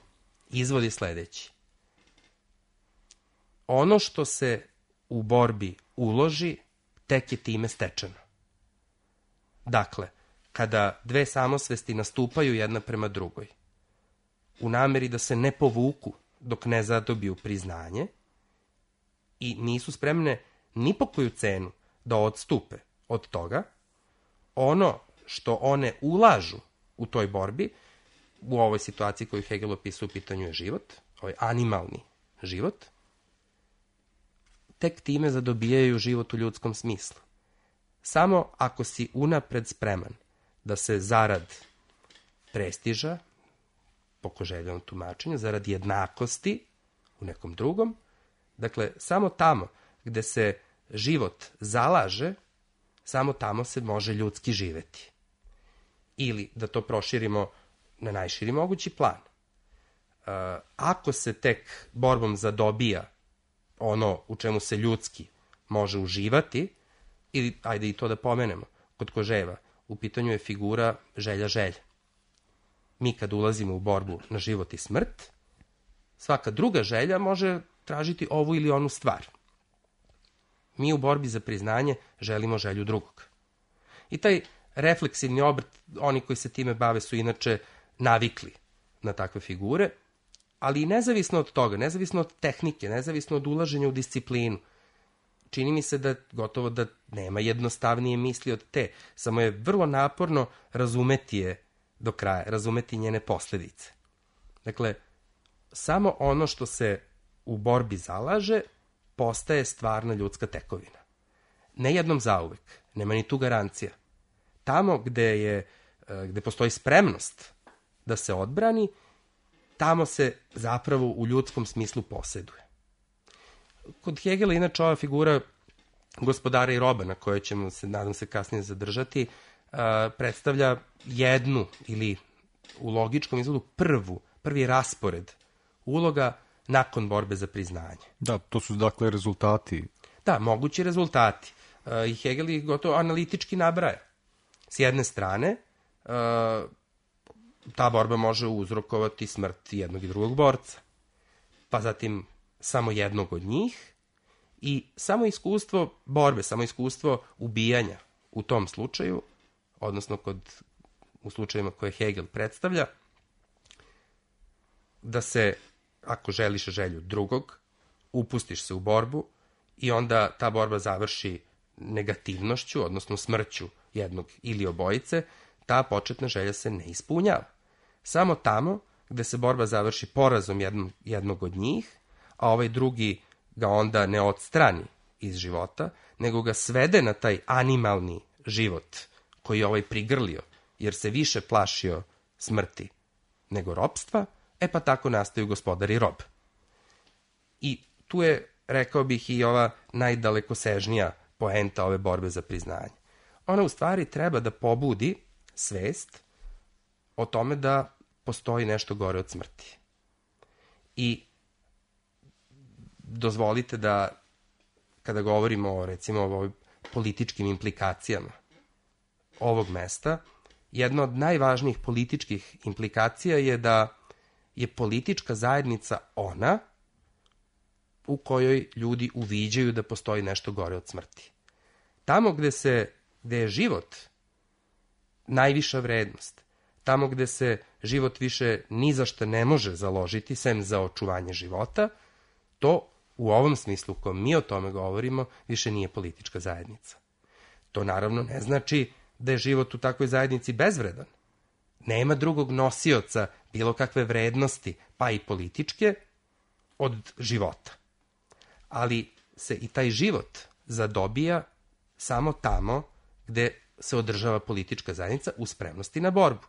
izvod je sledeći. Ono što se u borbi uloži, tek je time stečeno. Dakle, kada dve samosvesti nastupaju jedna prema drugoj, u nameri da se ne povuku dok ne zadobiju priznanje i nisu spremne ni po koju cenu da odstupe od toga, ono što one ulažu u toj borbi, u ovoj situaciji koju Hegel opisuje u pitanju je život, ovaj animalni život, tek time zadobijaju život u ljudskom smislu. Samo ako si unapred spreman da se zarad prestiža, po Koželjevom tumačenju, zarad jednakosti u nekom drugom, dakle, samo tamo gde se život zalaže, samo tamo se može ljudski živeti. Ili, da to proširimo na najširi mogući plan. Ako se tek borbom zadobija ono u čemu se ljudski može uživati, ili, ajde i to da pomenemo, kod Koževa, u pitanju je figura želja. Mi kad ulazimo u borbu na život i smrt, svaka druga želja može tražiti ovu ili onu stvar. Mi u borbi za priznanje želimo želju drugog. I taj refleksivni obrt, oni koji se time bave su inače navikli na takve figure, ali i nezavisno od toga, nezavisno od tehnike, nezavisno od ulaženja u disciplinu, čini mi se da gotovo da nema jednostavnije misli od te, samo je vrlo naporno razumeti je do kraja, razumeti njene posledice. Dakle, samo ono što se u borbi zalaže postaje stvarna ljudska tekovina. Ne jednom zauvek, nema ni tu garancija. Tamo gde postoji spremnost da se odbrani, tamo se zapravo u ljudskom smislu poseduje. Kod Hegela, inače, ova figura gospodara i roba, na kojoj ćemo se, nadam se, kasnije zadržati, predstavlja jednu ili u logičkom izgledu prvi raspored uloga nakon borbe za priznanje. Da, to su dakle rezultati. Da, mogući rezultati. I Hegel ih gotovo analitički nabraja. S jedne strane, ta borba može uzrokovati smrt jednog i drugog borca. Pa zatim samo jednog od njih i samo iskustvo borbe, samo iskustvo ubijanja u tom slučaju, odnosno u slučajima koje Hegel predstavlja, da se, ako želiš želju drugog, upustiš se u borbu i onda ta borba završi negativnošću, odnosno smrću jednog ili obojice, ta početna želja se ne ispunjava. Samo tamo gde se borba završi porazom jednog od njih, a ovaj drugi ga onda ne odstrani iz života, nego ga svede na taj animalni život koji je ovaj prigrlio, jer se više plašio smrti nego ropstva, pa tako nastaju gospodar i rob. I tu je, rekao bih, i ova najdalekosežnija poenta ove borbe za priznanje. Ona u stvari treba da pobudi svest o tome da postoji nešto gore od smrti. I dozvolite da, kada govorimo recimo o političkim implikacijama ovog mesta, jedna od najvažnijih političkih implikacija je da je politička zajednica ona u kojoj ljudi uviđaju da postoji nešto gore od smrti. Tamo gde je život najviša vrednost, tamo gde se život više ni za šta ne može založiti, sem za očuvanje života, to u ovom smislu u kojem mi o tome govorimo više nije politička zajednica. To naravno ne znači da je život u takvoj zajednici bezvredan. Nema drugog nosioca bilo kakve vrednosti, pa i političke, od života. Ali se i taj život zadobija samo tamo gde se održava politička zajednica u spremnosti na borbu.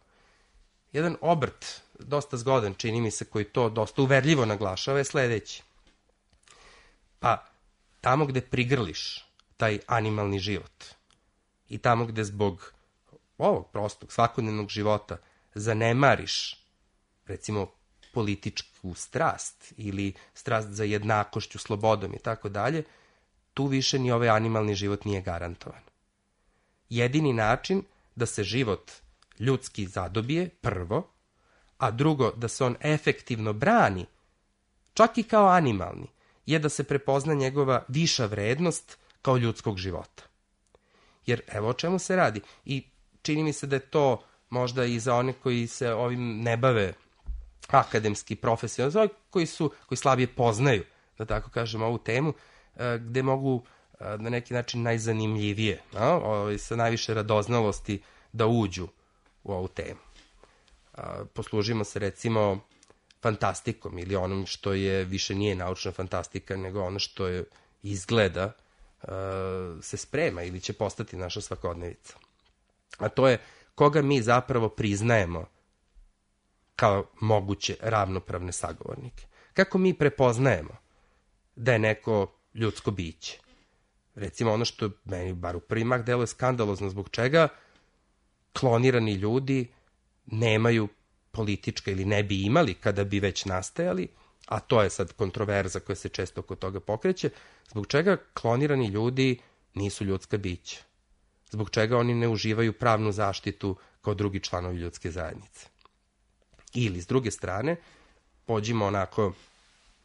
Jedan obrt, dosta zgodan, čini mi se, koji to dosta uverljivo naglašava, je sledeći. Pa tamo gde prigrliš taj animalni život i tamo gde zbog ovog prostog svakodnevnog života zanemariš, recimo, političku strast ili strast za jednakošću, slobodom i tako dalje, tu više ni ovaj animalni život nije garantovan. Jedini način da se život ljudski zadobije, prvo, a drugo, da se on efektivno brani, čak i kao animalni, je da se prepozna njegova viša vrednost kao ljudskog života. Jer evo o čemu se radi. I čini mi se da je to možda i za one koji se ovim ne bave akademski, profesionalno, koji slabije poznaju, da tako kažem, ovu temu, gde mogu na neki način najzanimljivije, sa najviše radoznalosti da uđu u ovu temu. Poslužimo se recimo fantastikom ili onom što je više nije naučna fantastika, nego ono što je izgleda se sprema ili će postati naša svakodnevica. A to je koga mi zapravo priznajemo kao moguće ravnopravne sagovornike. Kako mi prepoznajemo da je neko ljudsko biće? Recimo ono što meni bar u prvi mah deluje skandalozno, zbog čega klonirani ljudi nemaju politička ili ne bi imali kada bi već nastajali, a to je sad kontroverza koja se često oko toga pokreće, zbog čega klonirani ljudi nisu ljudska bića? Zbog čega oni ne uživaju pravnu zaštitu kao drugi članovi ljudske zajednice? Ili, s druge strane, pođimo onako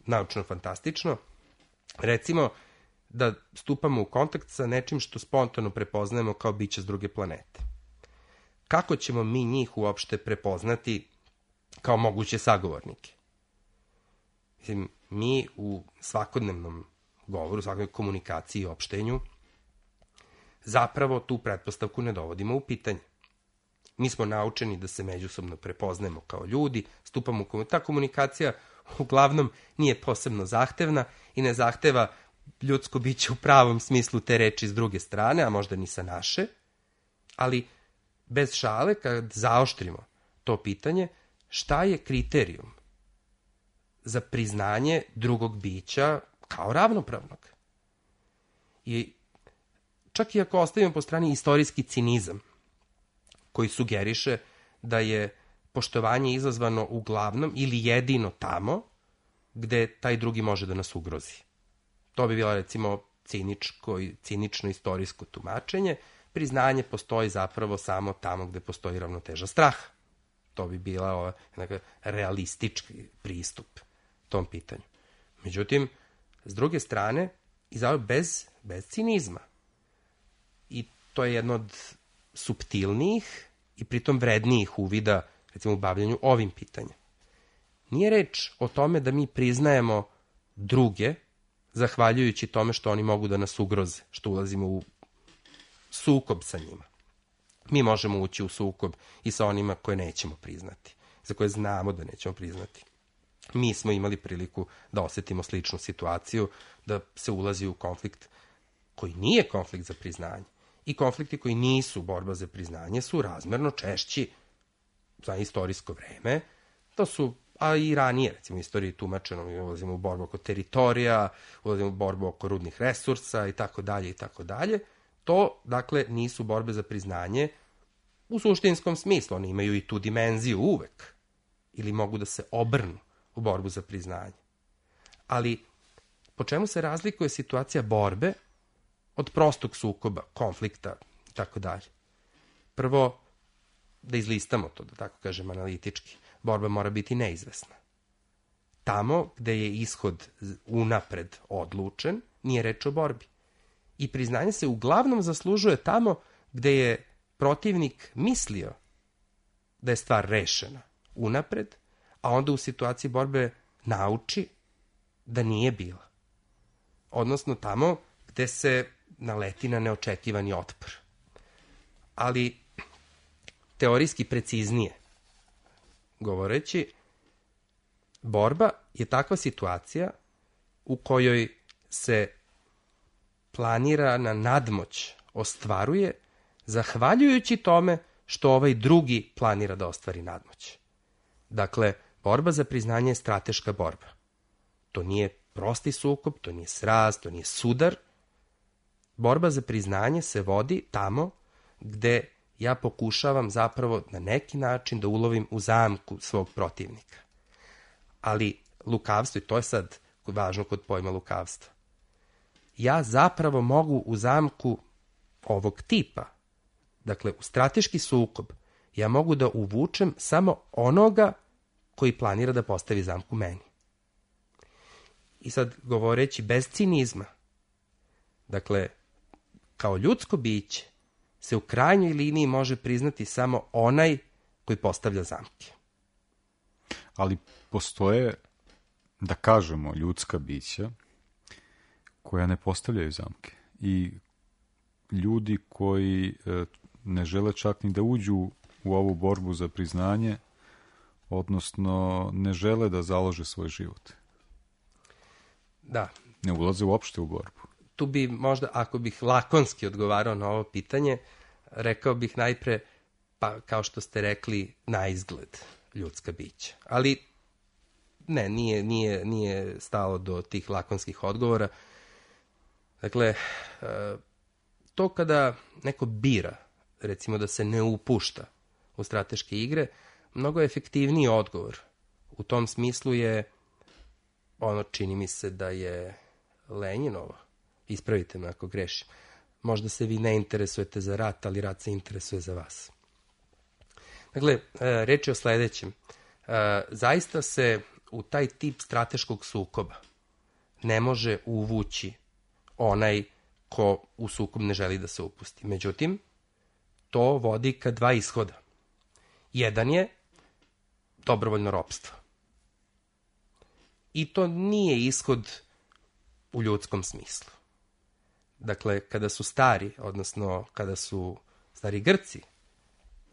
naučno-fantastično, recimo da stupamo u kontakt sa nečim što spontano prepoznajemo kao biće s druge planete. Kako ćemo mi njih uopšte prepoznati kao moguće sagovornike? Mislim, mi u svakodnevnom govoru, svakodnevnoj komunikaciji i opštenju zapravo tu pretpostavku ne dovodimo u pitanje. Mi smo naučeni da se međusobno prepoznajemo kao ljudi, stupamo u komunikaciju. Ta komunikacija uglavnom nije posebno zahtevna i ne zahteva ljudsko biće u pravom smislu te reči s druge strane, a možda ni sa naše, ali bez šale, kad zaoštrimo to pitanje, šta je kriterijum za priznanje drugog bića kao ravnopravnog? I čak i ako ostavimo po strani istorijski cinizam, koji sugeriše da je poštovanje izazvano uglavnom ili jedino tamo gde taj drugi može da nas ugrozi. To bi bilo, recimo, cinično istorijsko tumačenje. Priznanje postoji zapravo samo tamo gde postoji ravnoteža straha. To bi bila realistički pristup tom pitanju. Međutim, s druge strane, bez cinizma. I to je jedno od suptilnijih i pritom vrednijih uvida, recimo, u bavljanju ovim pitanjem. Nije reč o tome da mi priznajemo druge, zahvaljujući tome što oni mogu da nas ugroze, što ulazimo u sukob sa njima. Mi možemo ući u sukob i sa onima koje nećemo priznati, za koje znamo da nećemo priznati. Mi smo imali priliku da osetimo sličnu situaciju, da se ulazi u konflikt koji nije konflikt za priznanje. I konflikti koji nisu borba za priznanje su razmerno češći za istorijsko vreme. To su, a i ranije, recimo, u istoriji tumačeno, mi ulazimo u borbu oko teritorija, ulazimo u borbu oko rudnih resursa i tako dalje i tako dalje. To, dakle, nisu borbe za priznanje u suštinskom smislu. One imaju i tu dimenziju uvek. Ili mogu da se obrnu u borbu za priznanje. Ali, po čemu se razlikuje situacija borbe od prostog sukoba, konflikta i tako dalje? Prvo, da izlistamo to, da tako kažem analitički. Borba mora biti neizvesna. Tamo gde je ishod unapred odlučen, nije reč o borbi. I priznanje se uglavnom zaslužuje tamo gde je protivnik mislio da je stvar rešena unapred, a onda u situaciji borbe nauči da nije bila. Odnosno tamo gde se naleti na neočekivani otpor. Ali teorijski preciznije govoreći, borba je takva situacija u kojoj se planirana nadmoć ostvaruje zahvaljujući tome što ovaj drugi planira da ostvari nadmoć. Dakle, borba za priznanje je strateška borba. To nije prosti sukob, to nije sraz, to nije sudar. Borba za priznanje se vodi tamo gde ja pokušavam zapravo na neki način da ulovim u zamku svog protivnika. Ali lukavstvo, i to je sad važno kod pojma lukavstva, ja zapravo mogu u zamku ovog tipa, dakle u strateški sukob, ja mogu da uvučem samo onoga koji planira da postavi zamku meni. I sad, govoreći bez cinizma, dakle, kao ljudsko biće se u krajnjoj liniji može priznati samo onaj koji postavlja zamke. Ali postoje, da kažemo, ljudska bića koja ne postavljaju zamke. I ljudi koji ne žele čak ni da uđu u ovu borbu za priznanje, odnosno ne žele da založe svoj život. Da. Ne ulaze uopšte u borbu. Tu bi možda, ako bih lakonski odgovarao na ovo pitanje, rekao bih najpre, pa kao što ste rekli, na izgled ljudska bića. Ali ne, nije stalo do tih lakonskih odgovora. Dakle, to kada neko bira, recimo da se ne upušta u strateške igre, mnogo je efektivniji odgovor. U tom smislu je, čini mi se da je Lenjinovo, ispravite me ako grešim, možda se vi ne interesujete za rat, ali rat se interesuje za vas. Dakle, reč je o sledećem. Zaista se u taj tip strateškog sukoba ne može uvući onaj ko u sukob ne želi da se upusti. Međutim, to vodi ka dva ishoda. Jedan je dobrovoljno ropstvo. I to nije ishod u ljudskom smislu. Dakle, kada su stari, odnosno kada su stari Grci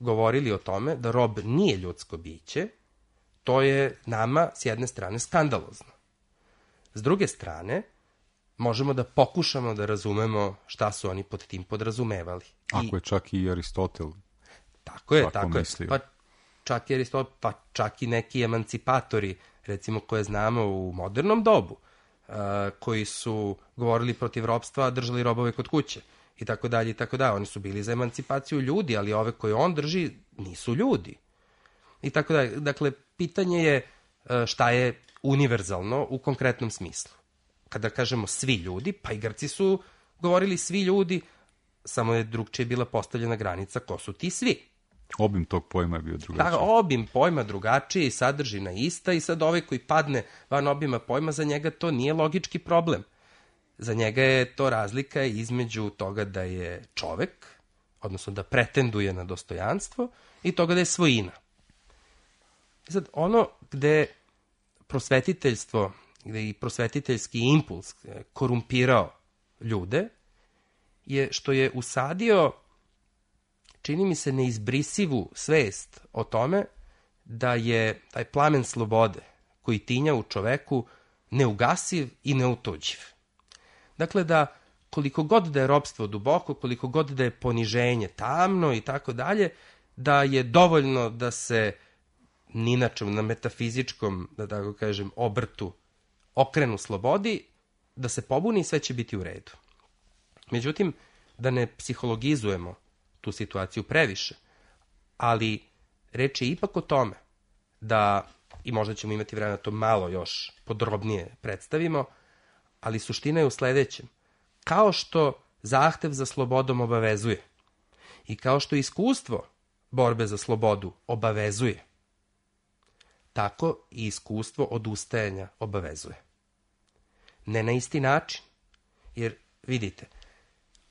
govorili o tome da rob nije ljudsko biće, to je nama s jedne strane skandalozno. S druge strane, možemo da pokušamo da razumemo šta su oni pod tim podrazumevali. Ako je čak i Aristotel tako je. Pa čak i Aristotel, pa čak i neki emancipatori, recimo koje znamo u modernom dobu, koji su govorili protiv ropstva, držali robove kod kuće i tako dalje i tako dalje. Oni su bili za emancipaciju ljudi, ali ove koje on drži nisu ljudi. I tako dalje. Dakle, pitanje je šta je univerzalno u konkretnom smislu. Kada kažemo svi ljudi, pa i Grci su govorili svi ljudi, samo je drugčije bila postavljena granica ko su ti svi. Obim tog pojma je bio drugačiji. Da, obim pojma drugačiji, sadržina ista i sad ovaj koji padne van obima pojma, za njega to nije logički problem. Za njega je to razlika između toga da je čovek, odnosno da pretenduje na dostojanstvo, i toga da je svojina. Sad, ono gde prosvetiteljstvo, gde i prosvetiteljski impuls korumpirao ljude, je što je usadio, čini mi se, neizbrisivu svest o tome da je taj plamen slobode koji tinja u čoveku neugasiv i neutuđiv. Dakle, da koliko god da je ropstvo duboko, koliko god da je poniženje tamno i tako dalje, da je dovoljno da se ni na čem, na metafizičkom, da tako kažem, obrtu okrenu slobodi, da se pobuni i sve će biti u redu. Međutim, da ne psihologizujemo tu situaciju previše, ali reč je ipak o tome da, i možda ćemo imati vremena to malo još podrobnije predstavimo, ali suština je u sledećem. Kao što zahtev za slobodom obavezuje i kao što iskustvo borbe za slobodu obavezuje, tako i iskustvo odustajanja obavezuje. Ne na isti način, jer vidite,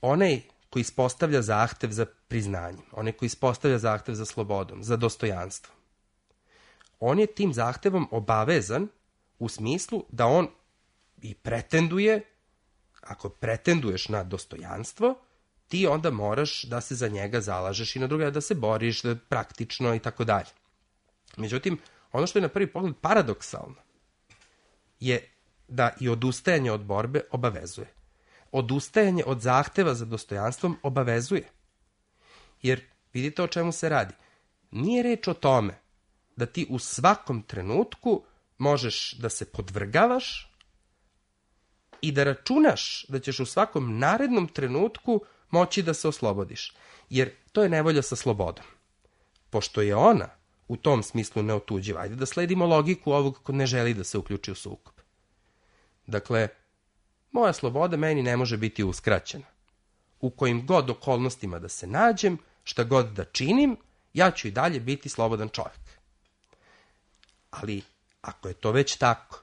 onaj koji ispostavlja zahtev za priznanjem, onaj koji ispostavlja zahtev za slobodom, za dostojanstvom, on je tim zahtevom obavezan u smislu da on i pretenduje, ako pretenduješ na dostojanstvo, ti onda moraš da se za njega zalažeš i na druga, da se boriš, da praktično i tako dalje. Međutim, ono što je na prvi pogled paradoksalno je da i odustajanje od borbe obavezuje. Odustajanje od zahteva za dostojanstvom obavezuje. Jer vidite o čemu se radi. Nije reč o tome da ti u svakom trenutku možeš da se podvrgavaš i da računaš da ćeš u svakom narednom trenutku moći da se oslobodiš. Jer to je nevolja sa slobodom. Pošto je ona u tom smislu neotuđiva, ajde da sledimo logiku ovog ko ne želi da se uključi u sukob. Dakle, moja sloboda meni ne može biti uskraćena. U kojim god okolnostima da se nađem, šta god da činim, ja ću i dalje biti slobodan čovjek. Ali, ako je to već tako,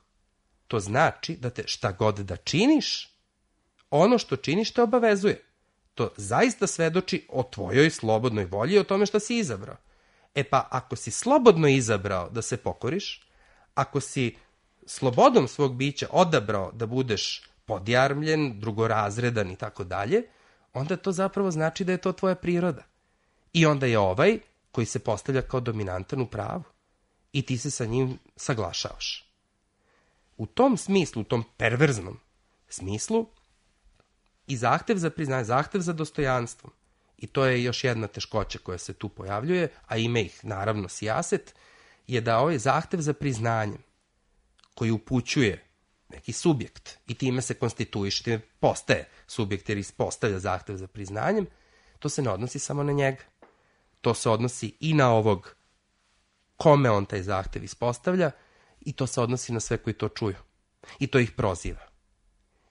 to znači da te šta god da činiš, ono što činiš te obavezuje. To zaista svedoči o tvojoj slobodnoj volji i o tome što si izabrao. E pa, ako si slobodno izabrao da se pokoriš, ako si slobodom svog bića odabrao da budeš podjarmljen, drugorazredan i tako dalje, onda to zapravo znači da je to tvoja priroda. I onda je ovaj koji se postavlja kao dominantan u pravu. I ti se sa njim saglašavaš. U tom smislu, u tom perverznom smislu, i zahtev za priznanje, zahtev za dostojanstvom, i to je još jedna teškoća koja se tu pojavljuje, a ima ih naravno sijaset, je da ovaj zahtev za priznanjem, koji upućuje neki subjekt i time se konstituiše, time postaje subjekt jer ispostavlja zahtev za priznanjem, to se ne odnosi samo na njega. To se odnosi i na ovog kome on taj zahtev ispostavlja i to se odnosi na sve koji to čuju. I to ih proziva.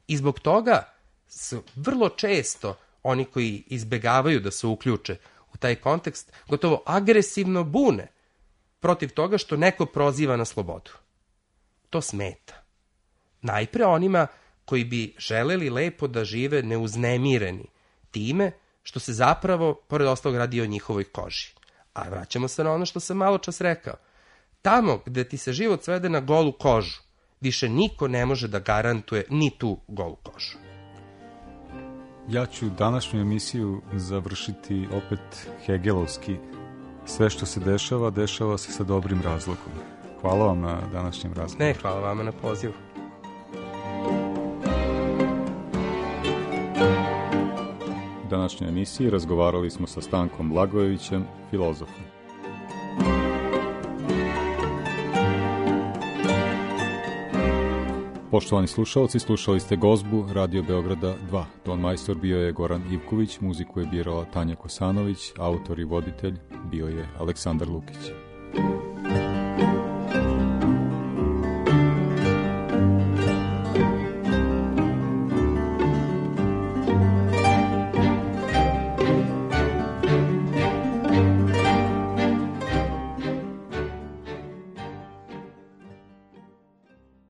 I zbog toga su vrlo često oni koji izbegavaju da se uključe u taj kontekst gotovo agresivno bune protiv toga što neko proziva na slobodu. To smeta. Najpre onima koji bi želeli lepo da žive neuznemireni time što se zapravo, pored ostalog, radi o njihovoj koži. A vraćamo se na ono što sam malo čas rekao. Tamo gde ti se život svede na golu kožu, više niko ne može da garantuje ni tu golu kožu. Ja ću današnju emisiju završiti opet hegelovski. Sve što se dešava, dešava se sa dobrim razlogom. Hvala vam na današnjem razgovoru. Ne, hvala vama na pozivu. U današnjoj emisiji razgovarali smo sa Stankom Blagojevićem, filozofom. Poštovani slušalci, slušali ste gozbu Radio Beograda 2. Ton majstor bio je Goran Ivković, muziku je birala Tanja Kosanović, autor i voditelj bio je Aleksandar Lukić.